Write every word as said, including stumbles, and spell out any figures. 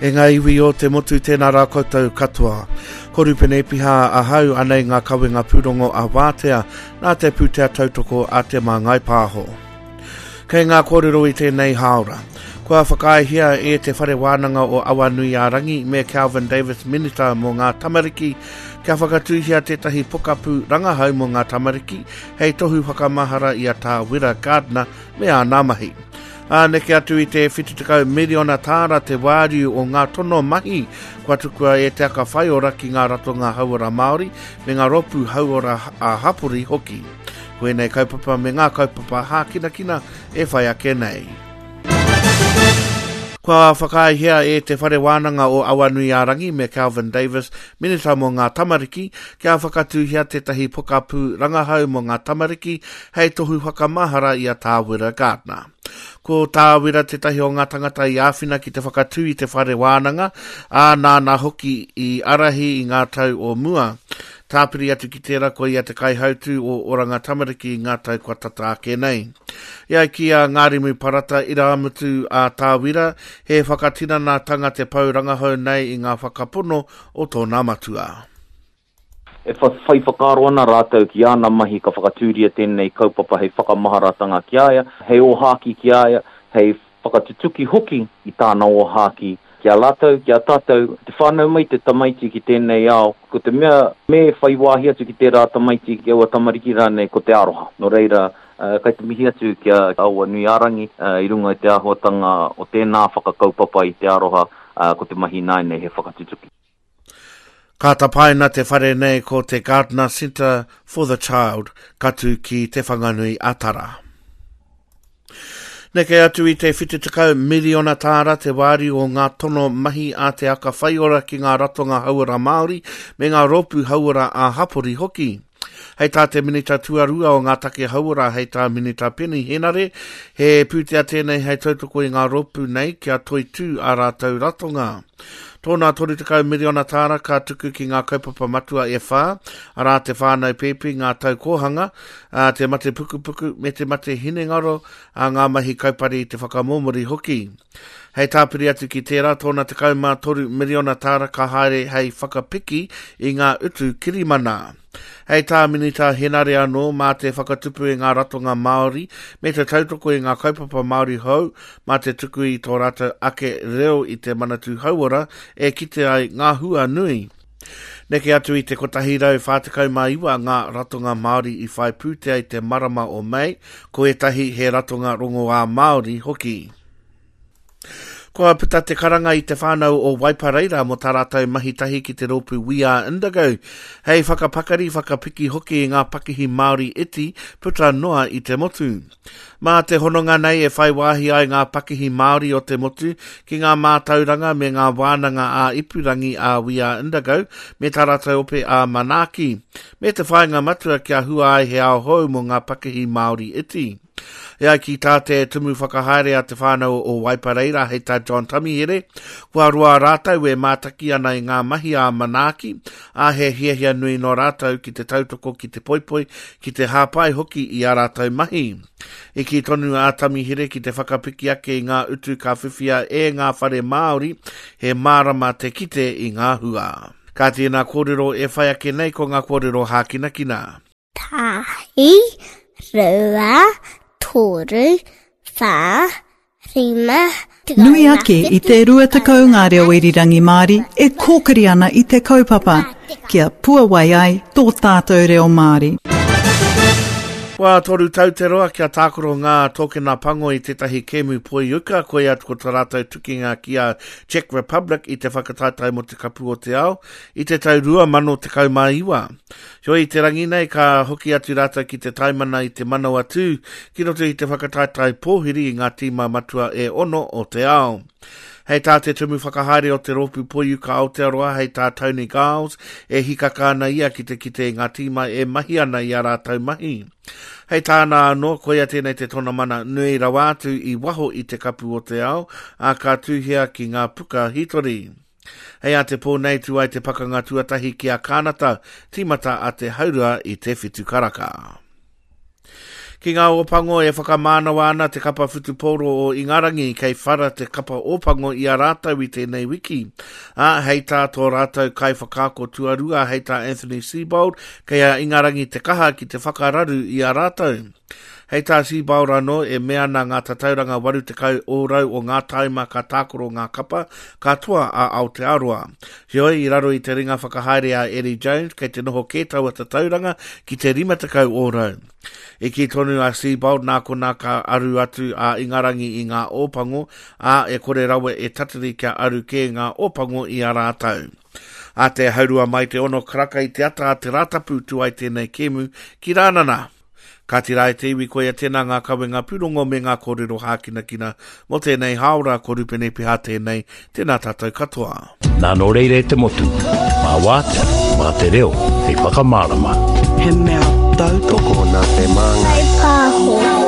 E ngā iwi o te motu tēnā rā koutou katoa. Ko Rupene Epiha ahau anei ngā kawenga pūrongo a Wātea nā te pūtea tautoko a Te Māngai Pāho. Kei ngā kōrero i tēnei hāora. Kua whakaaehia e Te Whare Wānanga o Awanuiārangi me Kelvin Davis Minita mō ngā tamariki kia whakatūhia tētahi pokapū rangahau mō ngā tamariki hei tohu whakamahara i a Tā Wira Gardiner me āna mahi. Ā, neke atu i te whitu tekau miriona tāra te wāriu o ngā tono mahi kua tukua e Te Aka Whaiora ki ngā ratonga hauora Māori me ngā rōpū hauora ā-hapori hoki. Ko ēnei kaupapa me ngā kaupapa hākinakina e whai ake nei. Kua whakaaehia e Te Whare Wānanga o Awanuiārangi me Kelvin Davis, Minita mō ngā tamariki, kia whakatūhia tētahi pokapū rangahau mō ngā tamariki hei tohu whakamahara i a Tā Wira Gardiner. Ko Tā Wira tētahi o ngā tangata i āwhina ki te whakatū i te Whare Wānanga, ā, nāna hoki i ārahi i ngā tau o mua. Tāpiri atu ki tērā ko ia te kaihautū o Oranga Tamariki i ngā tau kua tata ake nei. E ai ki a Ngārimu Parata Irāmutu a Tā Wira, he whakatinanatanga te pou rangahau nei i ngā whakapono o tōna matua. E whai whakaaro ana rātou ki āna mahi ka whakatūria tēnei kaupapa hei whakamaharatanga ki a ia, hei ōhākī ki a ia, hei whakatutuki hoki i tāna ōhākī ki a rātou, ki a tātou. Te whānau mai te tamaiti ki tēnei ao, ko te mea me whai wāhi atu ki tērā tamaiti, ki aua tamariki rānei, ko te aroha. Nō reira, kai te mihi atu ki a Awanuiārangi i runga i te āhuatanga o tēnā whakakaupapa i te aroha, ko te mahi nāianei he whakatutuki. Ka tapaina te whare nei ko te Gardiner Centre for the Child, ka tū ki Te Whanganui a Tara. Neke atu i te whitu tekau miriona tāra te wāriu o ngā tono mahi a Te Aka Whaiora ki ngā ratonga hauora Māori me ngā rōpū hauora ā-hapori hoki. Hei tā te Minita Tuarua o ngā take hauora hei tā Minita Peeni Henare, he pūtea tēnei hei tautoko i ngā rōpū nei kia toitū ā rātou ratonga. Tōna toru tekau miriona tāra ka tuku ki ngā kaupapa matua e whā, arā te whānau pēpi, ngā tau kōhanga, te mate pukupuku me te mate hinengaro, a ngā mahi kaupare i te whakamōmori hoki. Hei tāpiri atu ki tērā, tōna tekau mā toru miriona tāra ka haere hei whakapiki i ngā utu kirimana. Hei tā Minita Henare anō mā te whakatupu i ngā ratonga Māori me te tautoko i ngā kaupapa Māori hou mā te tuku i tō rātou ake reo i te Manatū Hauora e kite ai ngā hua nui. Neke atu i te kotahi rau whā tekau mā iwa ngā ratonga Māori i whai pūtea i te marama o Mei, ko ētahi he ratonga rongoā Māori hoki. Kua puta te karanga i te whānau o Waipareira mō tā rātou mahi tahi ki te rōpū We Are Indigo, hei whakapakari whakapiki hoki i ngā pakihi Māori iti puta noa i te motu. Mā te hononga nei e whai wāhi ai ngā pakihi Māori o te motu ki ngā mātauranga me ngā wānanga ā-ipurangi a We Are Indigo me tā rātou ope a Manaaki, me te whāinga matua kia hua ai he ao hou mō ngā pakihi Māori iti. E ai ki tā te tumu whakahaere a te whānau o Waipareira hei tā John Tamihere, kua roa rātou e mātaki ana i ngā mahi a Manaaki, ā he hiahia nui nō rātou ki te tautoko ki te poipoi, ki te hāpai hoki i ā rātou mahi. I kī tonu a Tamihere ki te whakapiki ake i ngā utu ka whiwhia e ngā whare Māori, he mārama te kite i ngā hua. Ka tēnā kōrero e whai ake nei ko ngā kōrero hākinakina. Tahi, rua, toru, whā, rima, Nui ake i te rua tekau ngā reo irirangi Māori e kōkiri ana i te kaupapa, kia puawai ai tō tātou reo Māori. Kua toru tau te roa kia tākaro ngā tōkena pango i tētahi kēmu poiuka, koia ko tā rātou tukinga ki a Czech Republic i te whakataetae mō te kapu o te ao i te tau rua mano tekau mā iwa. Heoi te rangi nei ka hoki atu rātou ki te taimana i te manawa tū ki roto i te whakataetae pōhiri i ngā tīma matua e ono o te ao. Hei tā te tumu whakahaere o te rōpū Poiuka Aotearoa, hei tā Tony Giles, e hikaka ana ia ki te kite i ngā tīma e mahi ana i a rātou mahi. Hei tāna anō, koia tēnei te tonamana nui rawa atu i waho i te kapu o te ao, ā ka tuhia ki ngā puka hitori. Hei a te pō nei tū ai te pakanga tuatahi ki a Kānata, tīmata a te haurua i te whitu karaka. Ki ngā Ōpango e whakamānawa ana te kapa whutupōro o Ingarangi kei whara te kapa Ōpango i a rātou i tēnei wiki. Ā, hei tā tō rātou kaiwhakaako tuarua, hei tā Anthony Seibold, kei a Ingarangi te kaha ki te whakararu i a rātou. Hei tā Seibold anō, e mea ana ngā tatauranga waru tekau ōrau o ngā taima ka tākaro ngā kapa, ka toa a Aotearoa. Heoi, i raro i te ringa whakahaere a Eddie Jones, kei te noho kē taua tatauranga ki te rima tekau ōrau. E kī tonu a Seibold nā konā ka aru atu a Ingarangi i ngā Ōpango, ā, e kore rawa e tatari kia aru kē ngā Ōpango i a rātou. A te haurua mai te ono karaka i te ata a te Rātapu tū ai tēnei kēmu ki Rānana. Ka tira e te iwi koia tēnā ngā kawenga pūrongo me ngā kōrero hākinakina mō tēnei hāora, ko Rupene Piha tēnei, tēnā tātou katoa. Nā nō reira e te motu, mā wātea, mā te reo, hei whakamārama. He mea tautoko nā te māngai. Pāho.